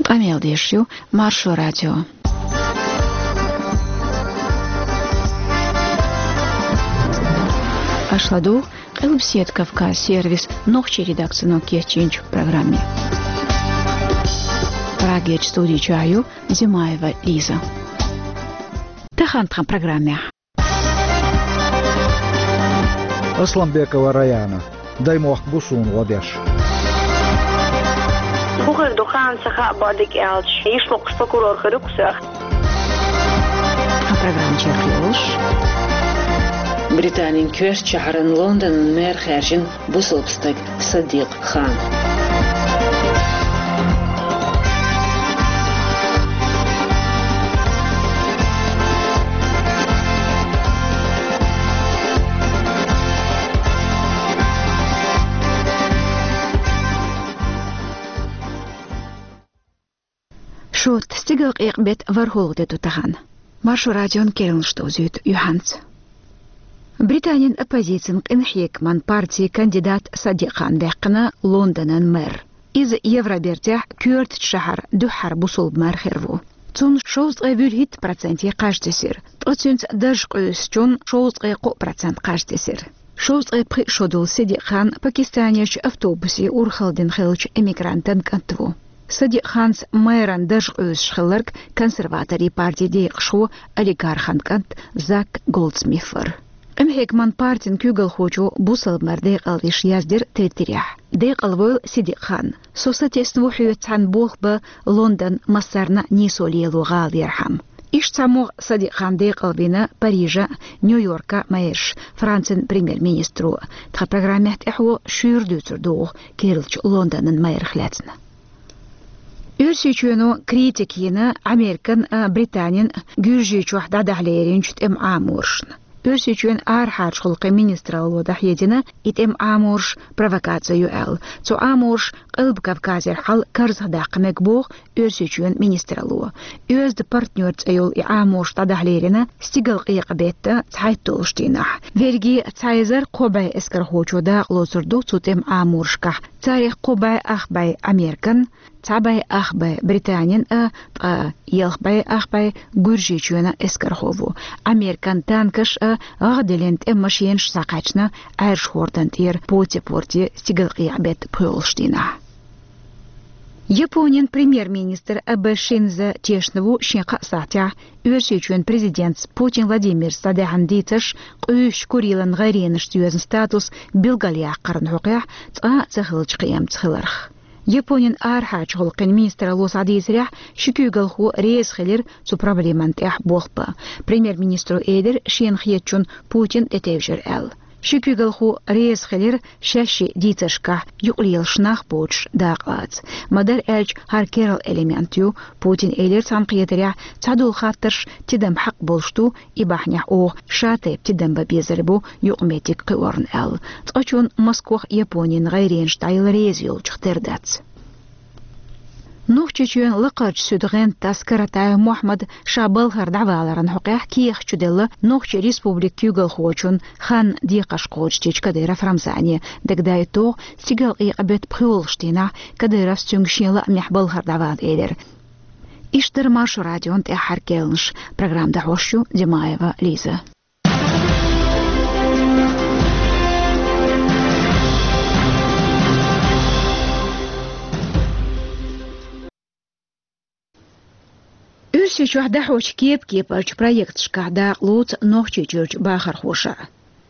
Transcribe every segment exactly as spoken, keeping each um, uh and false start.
Къамел деш ю Маршо радио. Аша ладугӀу Къилбаседа Кавказ сервисан нохчийн редакцино кечйинчу программе. Прагерчу студи чохь ю Зимаева Лиза. Тахана тхан программехь. Асланбекова Раяна, даймохк бу суна гӀо деш. ХӀун хир ду, хан ца хаьа, бадик аьлча, йиш локхуш прокурор хир ю-кх соьх. Тхан программа чекхйолуш. Британин коьртачу шахьаран Лондонан мэр хаьржина бусалба стаг Садикъ Хан. Шот, стигалкъекъа беттан ворхӀалгӀа де ду тахана. Маршо радион керланаш довзуьйту юьхьанца. Британин оппозицин къинхьегаман партин кандидат Садикъ Хан даьккхина Лондонан мэр. Иза Евробертехь коьртачу шахьаран дуьххьара бусалба мэр хир ву. Цунна шовзткъе вуьрхӀитта проценте кхаж тесира, ткъа цуьнца дарж къуьйсучунна шовзткъе кхоъ процент кхаж тесира. Шовзткъе пхиъ шо долу Садикъ Хан Пакистанерчу автобусе урхалла дина хиллачу эмигрантан кӀант ву. Садикъ Ханца мэран дарж къуьйсуш хилларг консерваторийн партин декъашхо, олигархан кӀант Зак Голдсмит вара. Къинхьегаман партин куьйгалхочо бусалба мэр декъалвеш яздира Твиттерехь: «Декъалвойла, Садикъ Хан. Со сатесна ву хьоьца цхьаьна болх бан Лондон массарна нийсо лело гӀала ярхьама». Иштта цхьа могӀа Садикъ Хан декъалвина Парижан, Нью-Йоркан мэраш, Францин премьер-министро. Тхан программехь тӀаьхьо шуьйра дуьйцур ду оха керлачу Лондонан мэрах лаьцна. Оьрсийчоьно критика йина Американ а, Британин а Гуьржийчохь дӀадахьа леринчу тӀеман Ӏаморшна. Оьрсийчоьнан арахьарчу гӀуллакхийн министралло дӀахьедина и тӀеман Ӏаморш провокаци ю аьлла. Цу Ӏаморша Къилба Кавказера хьал карзахдаккха мега боху Оьрсийчоьнан министралло. «Оьзда партнер» цӀе йолу и Ӏаморш дӀадахьа лерина стигалкъекъа беттан цхьайтталгӀачу дийнахь. Верриге цхьа эзар кхо бӀе эскархочо дакъалоцур ду цу тӀеман Ӏаморшкахь. Царах кхо бӀе ах бӀе Американ, цхьа бӀе ах бӀе Британин а, ткъа ялх бӀе ах бӀе Гуьржийчоьнан эскархо ву. Американ танкаш а, гӀагӀ диллина тӀеман машенаш схьакхаьчна Ӏаьржа хӀордан тӀера Поти-Порте стигалкъекъа беттан пхоьалгӀачу дийнахь. Японин премьер-министр Абэ Шинзо тешна ву шен кхаа сахьтехь Оьрсийчоьнан президентца Путин Владимирца дӀадаьхьна дийцарш къуьйсучу Курилан гӀайренашца йоьзна статус билгалъяккхарна хьокъехь цкъа а ца хиллачу кхиамца хиларх. Японин арахьарчу гӀуллакхийн министралло схьадийцарехь, ши куьйгалхо реза хилира цу проблеман тӀехь болх бан. Премьер-министро элира шена хетачунна Путин тӀетевжира аьлла. Ши куьйгалхо реза хилира шаьшшиъ дийцаршкахь юкъалелаш нах боцуш дакъалаца. Ма-дарра аьлча, хӀара керла элемент ю. Путина элира цхьана кхетарехь, цхьадолу хаттарш тидам хьакъ болуш ду, и бахьанехь оха шатайпа тидам бан безар бу юкъаметтиг кхиорна аьлла. Цкъачунна Москох Японин гӀайренаш дӀаяла реза йолчух тера дац. Нохчийчоьнан лакхарчу суьдан гӀентас Каратаев Мохьмад ша балхара дӀаваларан хьокъехь кехат чуделла Нохчийн Республикан куьйгалхочун хан декхарш кхочушдечу Кадыров Рамзане. Дагадоуьйту оха, стигалкъекъа беттан пхоьалгӀачу дийнахь Кадыровс цуьнга шен лаамехь балхара дӀавала элира. Иштта дара Маршо радион тӀаьххьара керланаш. Программа дӀахьош ю Димаева Лиза. Оьрсийчохь дӀахьочу кепа-кепарчу проекташкахь дакъалоцу Нохчийчуьрчу бахархоша.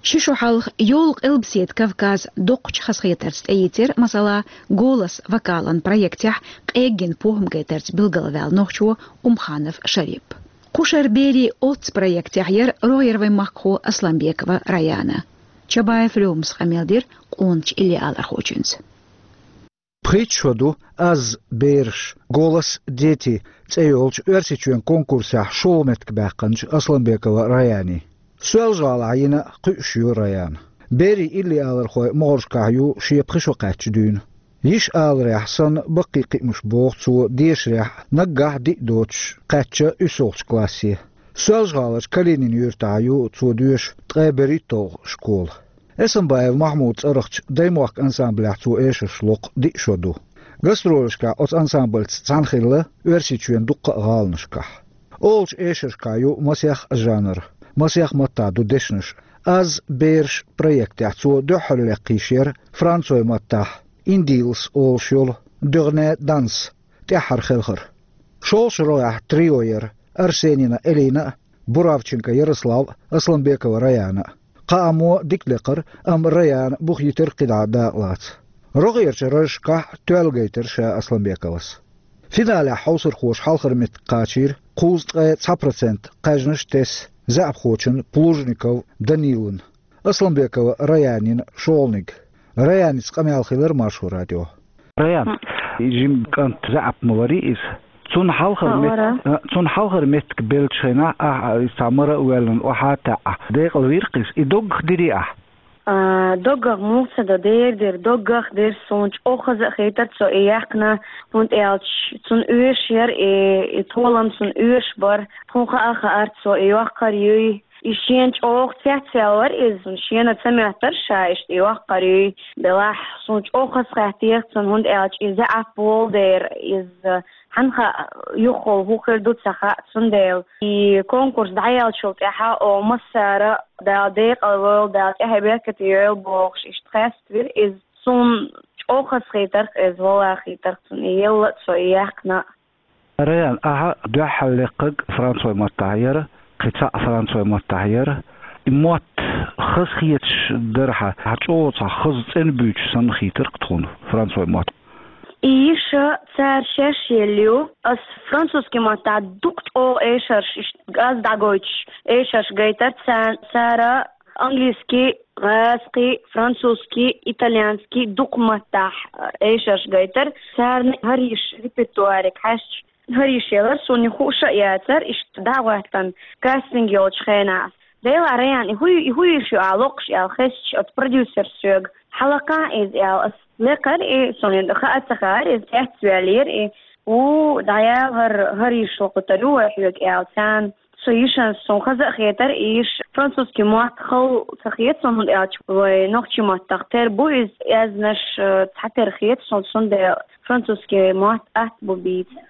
Ши шо хьалха йолу Къилбаседа Кавказ доккхачу хазахетарца тӀеийцира, масала, «Голос» вокалан проектехь къеггина похӀма гайтарца билгалваьлла нохчо Умханов Шарип. Кхушара берийн оццу проектехь яра рогӀера вайн махкахо Асланбекова Раяна. Чабаев Лёмас къамел дира къоначу иллиалархочуьнца. Пхийтта шо ду «Аз, бераш», «Голос дети» цӀе йолчу Оьрсийчоьнан конкурсехь шолгӀа меттиг баьккхинчу Асланбекова Раяни. Соьлжа-ГӀалахь йина кхуьуш ю Раяна. Берийн иллиалархойн могӀаршкахь ю шен пхи шо кхаьчча дуьйна. Йиш аларехь санна, баккхий кхиамаш боху цо дешарехь, наггахь диъ доцуш кхаьчча уьссалгӀачу классе. Соьлжа-ГӀаларчу Калинин юьртахь ю цо доьшу ткъе берхӀитталгӀа школа. Эсамбаев Махьмудан цӀарахчу даймохк ансамблехь цо эшарш локху диъ шо ду. Гастролашкахь оцу ансамбльца цхьаьна хилла Оьрсийчоьнан дуккха а гӀаланашкахь. Олучу эшаршкахь ю масех а жанр, масех а маттахь ду дешнаш. «Аз бераш» проектехь цо дуьххьарлакха йиш яра францойн маттахь «Индилс» олуш йолу «Дёрне данс» тӀаьххьара хелхар. ШолгӀачу рогӀехь трио яра: Арсенина Элина а, Буравченко Ярослав а, Асланбекова Раяна а. Кхаамо дика лекхара, амма Раяна бух йитира кхидӀа дакъалаца. РогӀерчу разашкахь тоьлла гайтира ша Асланбековас. Финалехь хьовсархоша хьалхара меттиг кхачийра кхузткъе цхьа процент кхаьжнаш тесна заьӀапхочун Плужников Данилан. Асланбекова Раянин шолгӀаниг. Раяница къамел хилира Маршо радион. Раян, жима кӀант, заьӀап ма варий иза. Цунна хьалхара мет-, а, цунна хьалхара меттиг беллачу хенахь, ахь, а, иза цхьа мара а воьллина, охьа а таьӀна, декъала вийра-кх иза. И доггах дирий ахь? А, доггах муха ца до, дера дира, доггах дира, суна чӀогӀа хаза а хийтира цо и яьккхина, хӀунда аьлча цунна оьшуш яра и, и толам цунна оьшуш бара, тхуна хаа а хаьара цо и йоккхур юй. И шена чӀогӀа цецваьлла вара иза, шена ца моьттура ша иштта и йоккхур юй. Делахь, суна чӀогӀа хазахетира цунна, хӀунда аьлча и заьӀап волу дера, иза хьанна хаьа, юххехула хӀун хир ду ца хаьа, цундела и конкурс дӀаяьллачул тӀаьхьа оха массара а Дала декъала войла, Дала тӀаьхье беркате йойла бохуш, иштта хеставира иза. Суна чӀогӀа хазахетира-кх иза, валлахӀи, хийтира-кх цунна и елла а, цо и яьккхина а. Раян, ахьа дуьххьарлаккхарг францойн маттахь яра, кхин цхьаъ францойн маттахь яра. И мотт хаза хеташ дара хьан, хьан чӀогӀа цхьа хаза цӀена буьйцуш санна хийтира-кх тхуна францойн мотт? И йиша цара шаьш елла ю. Ас французский маттахь дукха чӀогӀа эшарш, иштта аз дӀагойтуш эшарш гайтара ца-, цара. Английский, гӀазкхий, французский, итальянский, дукха маттахь, э, эшарш гайтара. Царна хӀара йиша репертуариг хьаьжча, хӀара йиша елара, суна и хууш а яцара, иштта дӀа а гӀоьттина, кастинг йолчу хенахь. Делахь, Раян, и хӀу-, и хӀун йиша ю ахь локхуш аьлла хезча, оцу продюсерс соьга, хьан лакхахь иза аьлла, ас лекхара и, суна и хаа ца хаьара, иза цецваьллера и, ву, дӀаяла хӀара, хӀара йиша локхуьйтур ю вай хьоьга аьлла царна. Со йишанца суна хаза а хетара, и йиша французский мотт хала ца хета суна, хӀунда аьлча вай нохчийн маттахь тера бу иза, аьзнаш, э, цхьатера хета суна, цундела французский мотт атта бу бийца.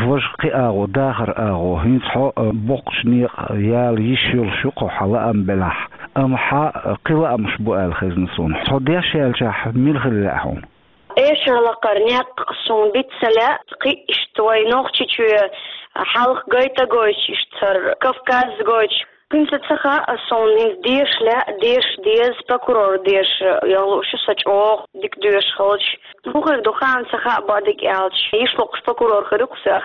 Важа кхин агӀо, дахар агӀо, хӀинца хьо, э, боккхачу некъа яла йиш йолуш ю-кх хьан лаам белахь, амма хьан, э, кхин лаамаш бу аьлла хезна суна. Хьо деш яьллачохь мила хила лаьа хьуна? Эшар лакхара некъ суна биц ца лаьа, кхин иштта вай Нохчийчоь хьалха гайта а гойтуш, иштта цара Кавказ гойтуш. ХӀинца ца хаьа суна, хӀинца деша лаьа, деша деза, прокурор деша яла лууш ю со чӀогӀа дика доьшуш хилча. ХӀун хир ду, хаам ца хаьа, бакъдерг аьлча, йиш локхуш прокурор хир ю-кх со.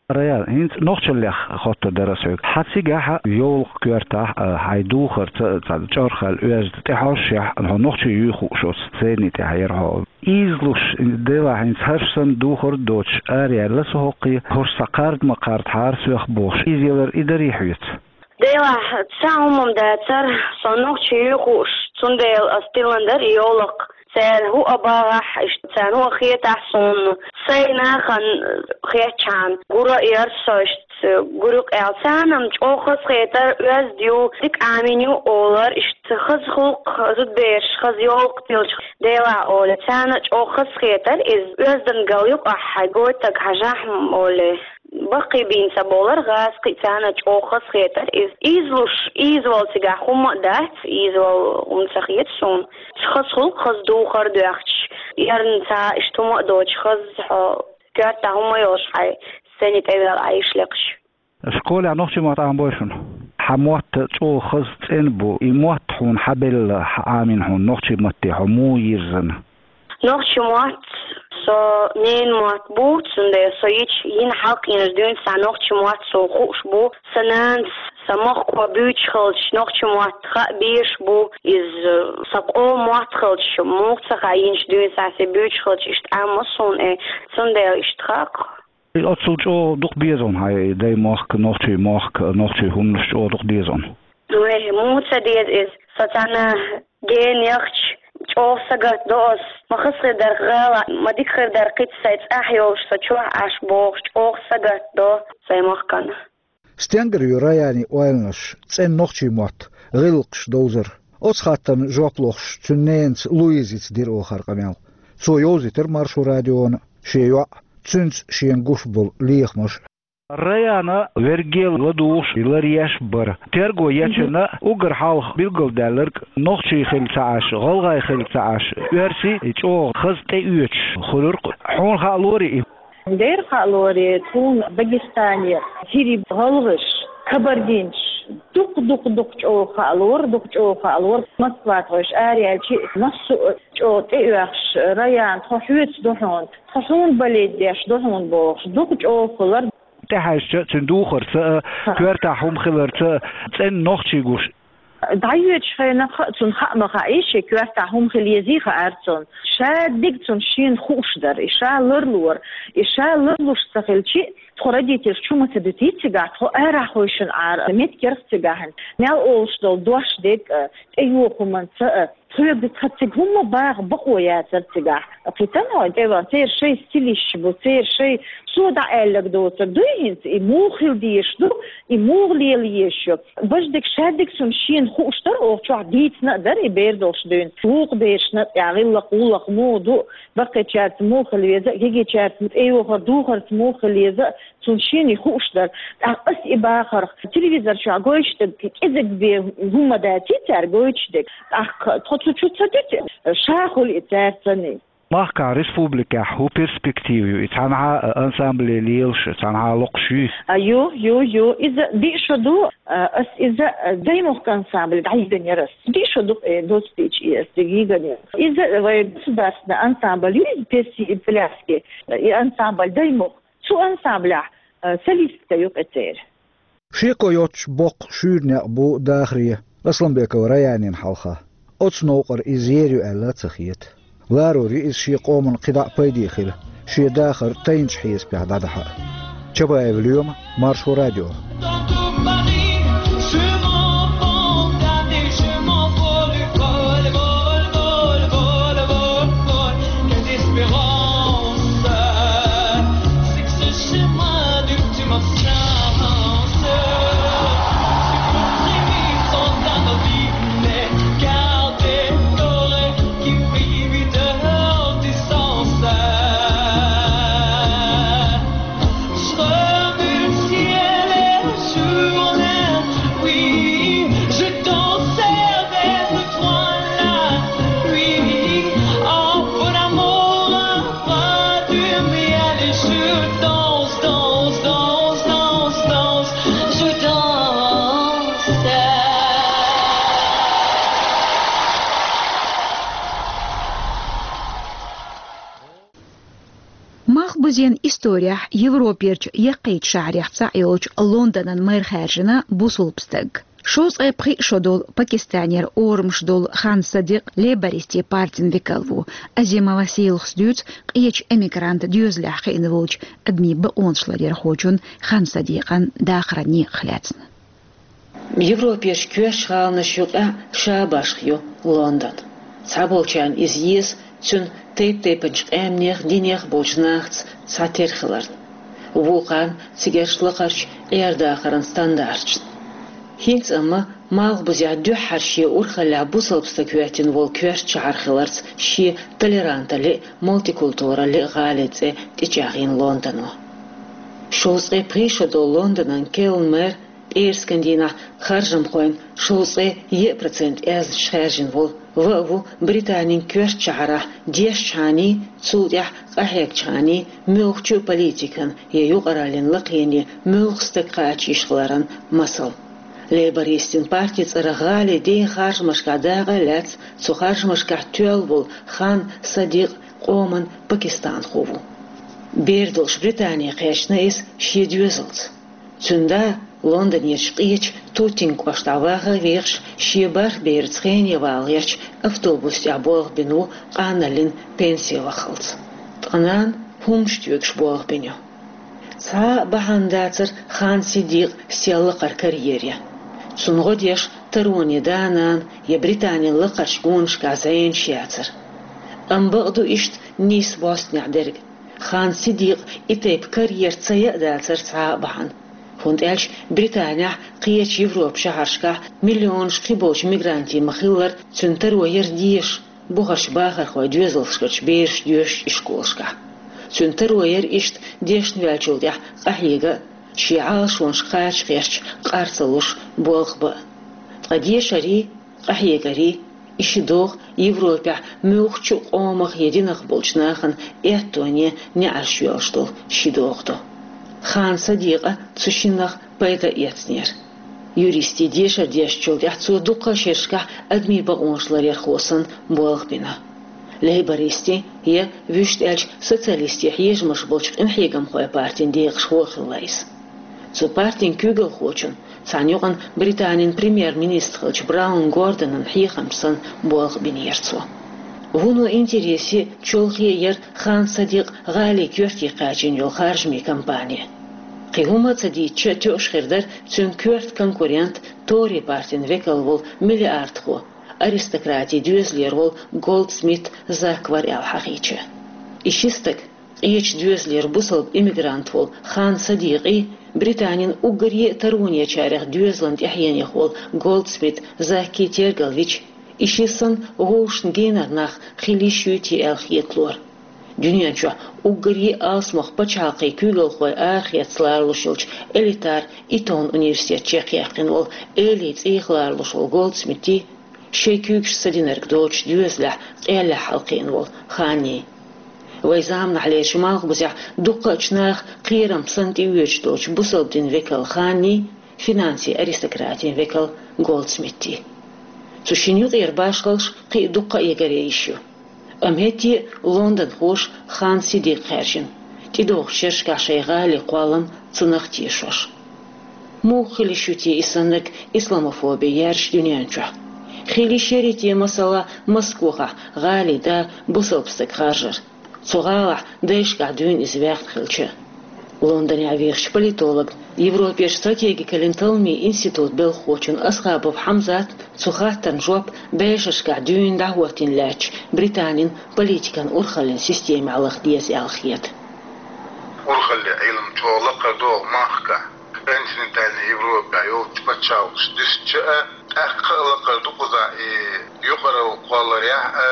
Раян, хӀинца нохчаллех хоттур дара ас хьоьга. Хьан цигахь йовлакх коьртахь, а, хьайн духарца цхьа чӀорхал оьзда тӀехьожушехь, хьо нохчи юй хууш оцу сцени тӀехь яра хьо. Ийзалуш, делахь хӀинца хӀорш санна духар а доцуш, араяьлла со хӀокхе, хӀорш цхьа кхарда ма кхардахьара соьх бохуш, ийзаялар и дарий хьоьца? Делахь, цхьа хӀума-м дацара, со нохчи юй хууш, цундела ас тиллина дара и йовлакх. Цара хӀу а багӀахь, иштта царна хӀу а хетахь суна, сайн нахана хетчхьана, гур а яра со, иштта гур ю-кх аьлла. Царна-м чӀогӀа хазахетара, оьзда ю, дика Ӏамийна ю олара, иштта хаза гӀуллакх, зудабераш, хаза йовлакх тиллача, делахь олий. Царна чӀогӀа хазахетара иза, оьздангалла ю-кх ахь, хьайн гойтаг хьажахь-м олий. Баккхий бийна ца бовлара, гӀазкхий, царна чӀогӀа хазахетара иза. Ийзалуш, ийзавала цигахь хӀума а дац, ийзавала хӀума ца хета суна. Хаза гӀуллакх, хаза духар а доьхча, эрна цхьа иштта хӀума а доцуш, хаза хьо коьртахь хӀума а йолуш хьайн сцени тӀе ваьлла Ӏа йиш лекхаш. Школехь нохчийн мотт Ӏамабой шуна? Хьан мотт чӀогӀа хаза цӀена бу, и мотт хьуна хьан белла, хьан Ӏамийна хьуна, нохчийн матте хьо муха йирзина? Нохчийн мотт со ненан мотт бу, цундела со йича, йина хьалха йинчу дуьйна схьа нохчийн мотт суна хууш бу. Сан нанас сан махко буьйцуш хилча, нохчийн мотт хаа безаш бу. Иза сан къоман мотт хилча, муха ца хаьа, йинчу дуьйна схьа сан буьйцуш хилча, иштта Ӏамма суна, э, цундела иштта хаьа-кх. Оццул чӀогӀа дукха деза хьуна хьайн дай мохк, нохчийн мохк, нохчийн хӀуманаш чӀогӀа дукха деза хьуна? Вай, муха ца деза иза? Со цхьана гена яхча, чӀогӀа сагатдо ас. Ма хаза хир дара гӀала, ма дика хир дара кхин а сайн цӀахь йолуш, со чохь Ӏаш бохуш, чӀогӀа сагатдо сайн махкана. Стенгара ю Раянин ойланаш, цӀена нохчийн мотт, гӀиллакхаш довзар? Оцу хаттарна жоп лохуш, цуьнан ненаца Луизица дира оха хӀара къамел. Цо йовзийтира Маршо радиона шен йоӀ, цуьнца шена гуш болу лехамаш. Раяна вергел ладугӀуш ларъеш бара. Терго ечунна уггар хьалха билгалдаьлларг нохчий хилла ца Ӏаш, гӀалгӀай хилла ца Ӏаш, оьрсий чӀогӀа хаза тӀеоьцуш хуьлура-кх. Хьуна хаа лорий и? Дера хаа лорий, тхуна Дагестане хӀирий, гӀалгӀаш, кабардинцаш дукха-дукха-дукха чӀогӀа хаа лора, дукха чӀогӀа хаа лора. Москватхойш араяьлча, массо а чӀогӀа тӀеоьхуш, Раяна, тхо хьоьца ду хьуна, тхо хьуна болеть деш ду хьуна бохуш, дукха чӀогӀа хилар. ТӀехьаьжча, цуьнан духарца а, коьртахь хӀума хиларца а цӀена нохчий гуш. ДӀайоьдучу хенахь а цунна хаа ма хаьий, шен коьртахь хӀума хила езий хаьара цунна. Шадерг цунна шена хууш дара, и ша ларлора. И ша ларлуш ца хилча, тхо родительш чу ма ца дуьтий цигахь, тхо арахь хевшина Ӏара, меттигерг цигахь. Мел олуш долу дош дерг а, тӀейогӀу хӀуманца а, тхоьга тхан цига хӀумма баха бакъо яцара цигахь. Кхетий хьо, тӀе ван, церан шайн стилисташ бу, церан шайн, цо дӀааьлларг доцург дуй хӀинца, и муха хила дезаш ду, и муха лела езаш ю. Баждерг шадерг цунна шена хууш дара, оха чохь дийцина а дара и бер долуш дуьйна. Вукху берашна тӀехь гӀиллакх, гӀуллакх муха ду, баккхийчаьрца муха хила веза, гигичаьрца тӀейогӀур духарца муха хила еза, цунна шена и хууш дара. ТӀаккха ас и бахарх, телевизор чохь гойтуш дерг кӀезиг бен хӀумма даций цара гойтуш дерг. ТӀаккха тхо цу чу ца дуьту, ша хуьлу и цаьрцанний. Махкахь, республикехь хӀун перспектива ю? И цхьанхьа а ансамбле лелаш, цхьанхьа а локхуш юй? А, ю, ю, ю. Иза диъ шо ду, а, ас иза, а, Даймохк ансамбле дӀайигна яра ас. Диъ шо ду, э, доцу дийча и ас дигна яра. Иза вайн государственный ансамбль ю, иза песи и пляски, и ансамбль Даймохк. Цу ансамблехь, а, солистка ю-кх и церан. Шеко йоцуш боккха шуьйра некъ бу дахаре Асланбекова Раянина хьалха. Оцу новкъара иза ер ю аьлла ца хета. Ларор ю иза шен къоман кхидӀа а пайде хила, шен дахар тайначу хьесапехь дӀадахьа а. Чабаев Лоьма, Маршо радио. Малхбузен исторехь Европерчу яккхийчу шахьарех цхьаъ йолчу Лондонан мэр хаьржина бусалба стаг. Шовзткъе пхиъ шо долу Пакистанера орамаш долу Хан Садикъ лейбористийн партин векал ву. Азимова Сийлахас дуьйцу къечу эмигрант доьзалехь хиъна волчу адамийн бакъонаш ларъярхочун Хан Садикъан дахаран некъах лаьцна. Европерчу коьртачу гӀаланаш юкъахь ша башха ю Лондон. Цхьаболчарна иза еза цуьнан тайп-тайпанчу къаьмнех, динех болчу нахаца цхьатерра хиларна, вукхарна цигарчу лакхарчу Ӏер-дахаран стандарташна. ХӀинца амма Малхбузехь дуьххьара шен урхаллехь бусалба стаг хӀоьттина волу коьртачу шахьар хиларца шен толеранталле а, мультикультуралле а гӀалин цӀе тӀечӀагӀйина Лондоно. Шовзткъе пхиъ шо долу Лондонан керла мэр пӀераскан дийнахь харжамхойн шовзткъе еа процент аьзнаш хаьржина волу, ва а ву Британин коьртачу шахьарахь дешчхьаний, цул тӀаьхьа къахьегчхьаний муьлххачу а политикан я юкъараллин лакхене муьлхха стаг кхача йиш хиларан масал. Лейбористийн партин цӀарах гӀалин ден харжамашкахь дакъа а лаьцна, цу харжамашкахь тоьлла волу Хан Садикъ къоман пакистанхо ву. Бер долуш Британе кхаьчна иза шен доьзалца. Цуьнан да Лондонерчу къечу Тутинг кӀоштахь ваха а вехаш, шен бархӀ бераца хене вала гӀерташ, автобус тӀехь болх бина ву, къаналлин пенсе ваххалц. Ткъа нана хӀуманаш тоьгуш болх бина ю. Цхьа а бахьана дацара Хан Сидикъан сел лакхара карьере. Цунна гӀо деш тароне да-нана я Британин лакхарчу гонашкахь зӀенаш яцара. Амма бакъду иштта нийса бӀостанехь дерг. Хан Сидикъан и тайпа карьера ца яа дацара цхьа а бахьана. ХӀунда аьлча Британехь, кхечу Европан шахьаршкахь миллионаш кхиболчу мигрантийн ма-хиллара, цуьнан таро яра дезаш. бухарчу бахархойн доьзалшкарчу бераш доьшучу ишколашкахь. Цуьнан таро яра иштта дешна ваьллачул тӀаьхьа къахьега а, шен Ӏалашонаш кхача кхерча къар ца луш болх бан а. Ткъа дешарий, къахьегарий, и ши догӀа Европехь муьлххачу а къомах я динах болчу нахана аьттоне неӀарш йоьллуш долу ши догӀа ду. Хан Садикъа цу шиннах пайда а эцнера. Юристийн дешар дешначул тӀаьхьа цо дуккха а шерашкахь адамийн бакъонаш ларъярхо санна болх бина. Лейбористийн я, вуьшта аьлча, социалистийн хьежамаш болчу къинхьегамхойн партин декъашхо а хилла иза. Цу партин куьйгалхочун, цхьана юкъана Британин премьер-министр хиллачу Браун Гордонан хьехамча санна болх бинера цо. Вуно интересе а, чолхе а яра Хан Садикъ гӀалин коьрте кхачийна йолу харжамийн кампани. Кхин хӀума а ца дийцича, тоьуш хир дара цуьнан коьрта конкурент, Тори партин векал волу миллиардхо, аристократийн доьзалера волу Голдсмит Зак вара аьлла хьахийча. И ши стаг, къечу доьзалера бусалба иммигрант волу Хан Садикъий, Британин уггаре а таронечарех доьзалан тӀаьхьенех волу Голдсмит Заккий тергалвича, и ши санна вовшашна генара нах хила йиш юй те аьлла хеталора. Дуьнен чохь уггаре а алсамох пачхьалкхийн куьйгалхой арахеца лоруш йолчу элитар Итон университет чекхъяьккхина волу элий цӀийх лоруш волу Голдсмитий, шайн куьйгаш ца динарг доцучу доьзалехь къеллехь хьалакхиъна волу Ханний. Вайн заманахьлерчу Малхбузехь дуккхачу наха кхерам санна тӀеоьцуш долчу бусалба дин векал Ханний, финансийн аристократийн векал Голдсмитий. Цу шинна юкъера башхаллаш кхин а дуккха а ягаръян йиш ю. Амма хӀетте а лондонхоша Хан Садикъ хаьржина, тӀедогӀучу шерашкахь шайн гӀалин кхоллам цунах тешош. Муха хила йиш ю те и саннарг исламофоби яржаш дуьнен чохь? Хила йиш яра те, масала, Москохахь гӀалин да бусалба стаг харжар, цу гӀалахь дайшкахь дуьйна иза ваьхна хилча? Лондонехь вехачу политолог, Европерчу стратегикаллин талламийн институтан белхахочун Асхабов Хьамзатна цу хаттарна жоп бӀешерашкахь дуьйна дӀахӀоттийна лаьттачу Британин политикан урхаллин системехь лаха деза аьлла хета. Урхаллин Ӏилма чӀогӀа лакхара догӀу махкахь, континентальный Европехь йолчу пачхьалкхаш дисча а, тӀаккха а лакхара ду кхузахь и юкъаралла кхолларехь а,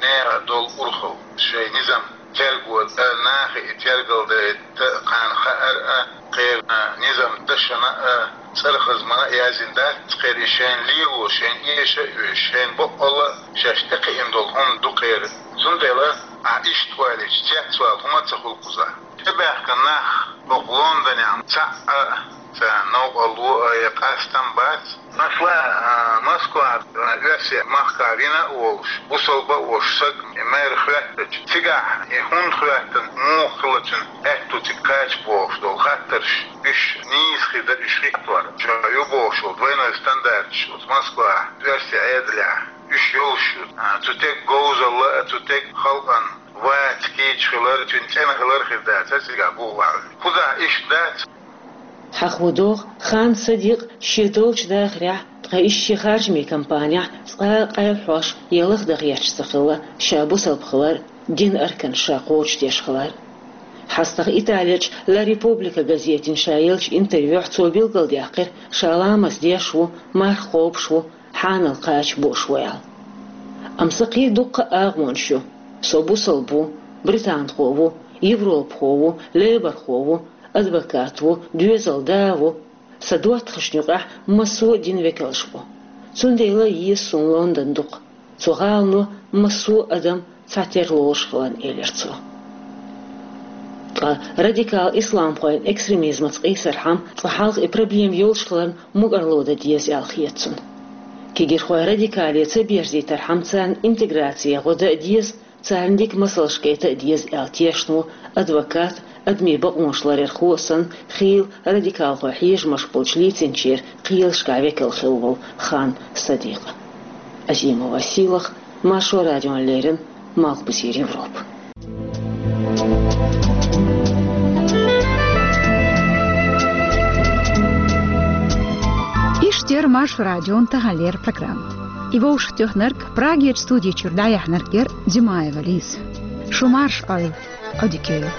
нехан долу урхалла, шайн низам терго дан, нахе и тергалдайта кхарна хаар а, кхеран низам дашна а, цӀарах хазмана а яздина дац кхеран, и шайна лело, шайна эша а оьшу, шайна бакъволла а шаьш тӀекхиъна долу хӀума ду кхеран. Цундела ахь иштта ойла йича, цецвала хӀума а ца хуьлу кхузахь. ТӀебаьхкина нах хӀокху Лондонехь цхьаъ а, царна новкъарло а я къастам бац. Масала, а, Москва, а, оьрсийн махкахь вина а волуш, бусалба а волуш саг, и мэр хоьттича, цигахь и хӀунда хоьттина, муха хилла цуьнан аьтто цига кхача бохуш долу хаттарш, уьш нийса хир дара уьш хӀиттор, чӀогӀа ю бохуш волу двойной стандарташ оцу Москвахь, оьрсийн Ӏедалехь, уьш йолуш ю. А, цу стеган говзалла а, цу стеган халкъан вац кийча хилар, цуьнан цӀена хилар хир дац цигахь бухахь. Кхузахь иштта дац. Хьахо догӀу, Хан Садикъ шен долчу дахарехь, ткъа иза шен харжамийн кампанехь цкъа а къайлахьош я лахдаха гӀерташ ца хилла ша бусалба хилар, динан арканаш ша кхочушдеш хилар. ХьастагӀа Италерчу La Repubblica газетина ша еллачу интервьюхь цо билгалдаьккхира ша ламаз деш ву, марха кхобуш ву, хьанал кхача бууш ву аьлла. Амма сан кхин дуккха а агӀонаш ю. Со бусалба ву, британхо ву, европахо ву, лейборхо ву, адвокат ву, доьзалан да ву. Сан доттагӀашна юкъахь массо а динан векалш бу. Цундела еза суна Лондон дукха. Цу гӀалано массо а адам цхьатерра лоруш хиларна, элира цо. Ткъа радикал исламхойн экстремизмаца къийсархьама, цкъа хьалха и проблема йолуш хиларна мукӀарло дан деза аьлла хета цунна. Кегирхой радикале ца берзийтархьама, царна интеграци гӀо дан а деза, царна дика масалш гайта а деза аьлла тешна ву адвокат, адамийн бакъонаш ларъярхо а санна, хийла радикалхойн хьежамаш болчу лийцинчеран кхелашкахь векал хилла волу Хан Садикъа. Азимова Сийлаха, Маршо радиона леррина, Малхбузера Европа. Иштта яра Маршо радион таханлера программа. И вовшахтоьхнарг, Прагерчу студи чуьра дӀаяьхьнарг яра Димаева Лиза. Шу марша Ӏойла, Ӏодика йойла.